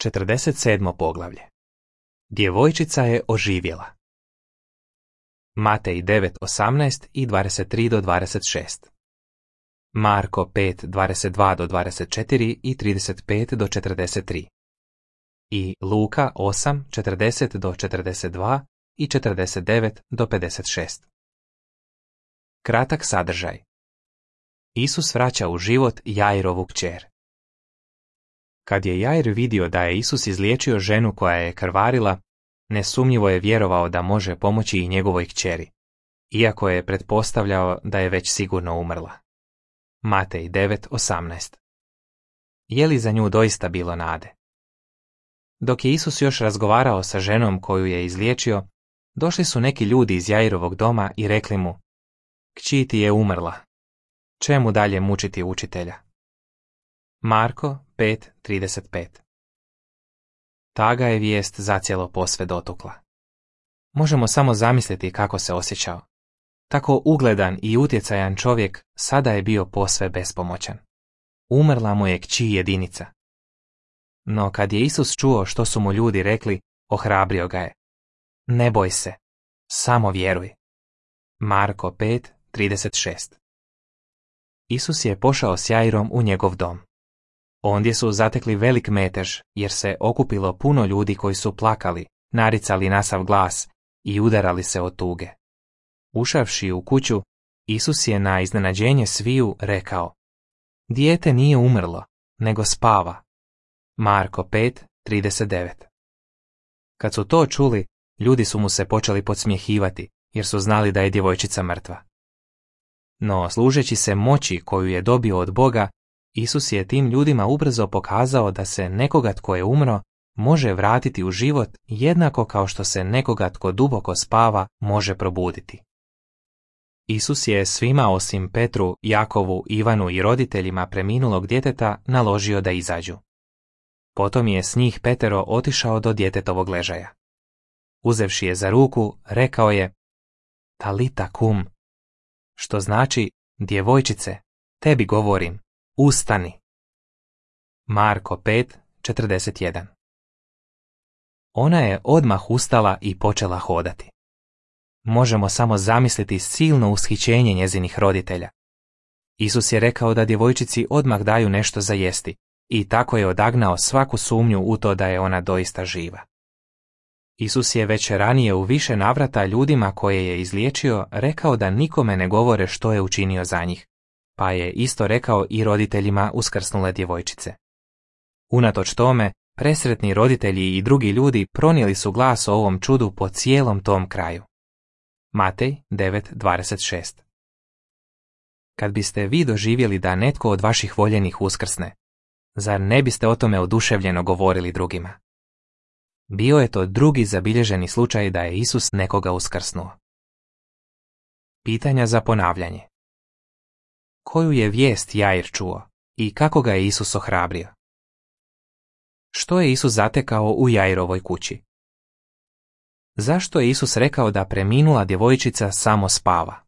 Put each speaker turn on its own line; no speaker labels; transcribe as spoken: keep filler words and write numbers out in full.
četrdeset sedmo poglavlje. Djevojčica je oživjela. Matej devet osamnaest i dvadeset tri do dvadeset šest. Marko pet dvadeset dva do dvadeset četiri i trideset pet do četrdeset tri. I Luka osam četrdeset do četrdeset dva i četrdeset devet do pedeset šest. Kratak sadržaj. Isus vraća u život Jairovu kćer. Kad je Jair vidio da je Isus izliječio ženu koja je krvarila, nesumnjivo je vjerovao da može pomoći i njegovoj kćeri, iako je pretpostavljao da je već sigurno umrla. Matej devet osamnaest. Je li za nju doista bilo nade? Dok je Isus još razgovarao sa ženom koju je izliječio, došli su neki ljudi iz Jairovog doma i rekli mu: Kći ti je umrla. Čemu dalje mučiti učitelja? Marko pet trideset pet. Ta ga je vijest zacijelo posve dotukla. Možemo samo zamisliti kako se osjećao. Tako ugledan i utjecajan čovjek sada je bio posve bespomoćan. Umrla mu je kći jedinica. No kad je Isus čuo što su mu ljudi rekli, ohrabrio ga je. Ne boj se, samo vjeruj. Marko pet trideset šest. Isus je pošao s Jairom u njegov dom. Ondje su zatekli velik metež, jer se okupilo puno ljudi koji su plakali, naricali na sav glas i udarali se od tuge. Ušavši u kuću, Isus je na iznenađenje sviju rekao: Dijete nije umrlo, nego spava. Marko pet trideset devet. Kad su to čuli, ljudi su mu se počeli podsmjehivati, jer su znali da je djevojčica mrtva. No, služeći se moći koju je dobio od Boga, Isus je tim ljudima ubrzo pokazao da se nekoga tko je umro može vratiti u život jednako kao što se nekoga tko duboko spava može probuditi. Isus je svima osim Petru, Jakovu, Ivanu i roditeljima preminulog djeteta naložio da izađu. Potom je s njih petero otišao do djetetovog ležaja. Uzevši je za ruku, rekao je: Talita kum, što znači: djevojčice, tebi govorim, ustani. Marko pet četrdeset jedan. Ona je odmah ustala i počela hodati. Možemo samo zamisliti silno ushićenje njezinih roditelja. Isus je rekao da djevojčici odmah daju nešto za jesti i tako je odagnao svaku sumnju u to da je ona doista živa. Isus je već ranije u više navrata ljudima koje je izliječio rekao da nikome ne govore što je učinio za njih, pa je isto rekao i roditeljima uskrsnule djevojčice. Unatoč tome, presretni roditelji i drugi ljudi pronijeli su glas o ovom čudu po cijelom tom kraju. Matej devet dvadeset šest. Kad biste vi doživjeli da netko od vaših voljenih uskrsne, zar ne biste o tome oduševljeno govorili drugima? Bio je to drugi zabilježeni slučaj da je Isus nekoga uskrsnuo. Pitanja za ponavljanje. Koju je vijest Jair čuo i kako ga je Isus ohrabrio? Što je Isus zatekao u Jairovoj kući? Zašto je Isus rekao da preminula djevojčica samo spava?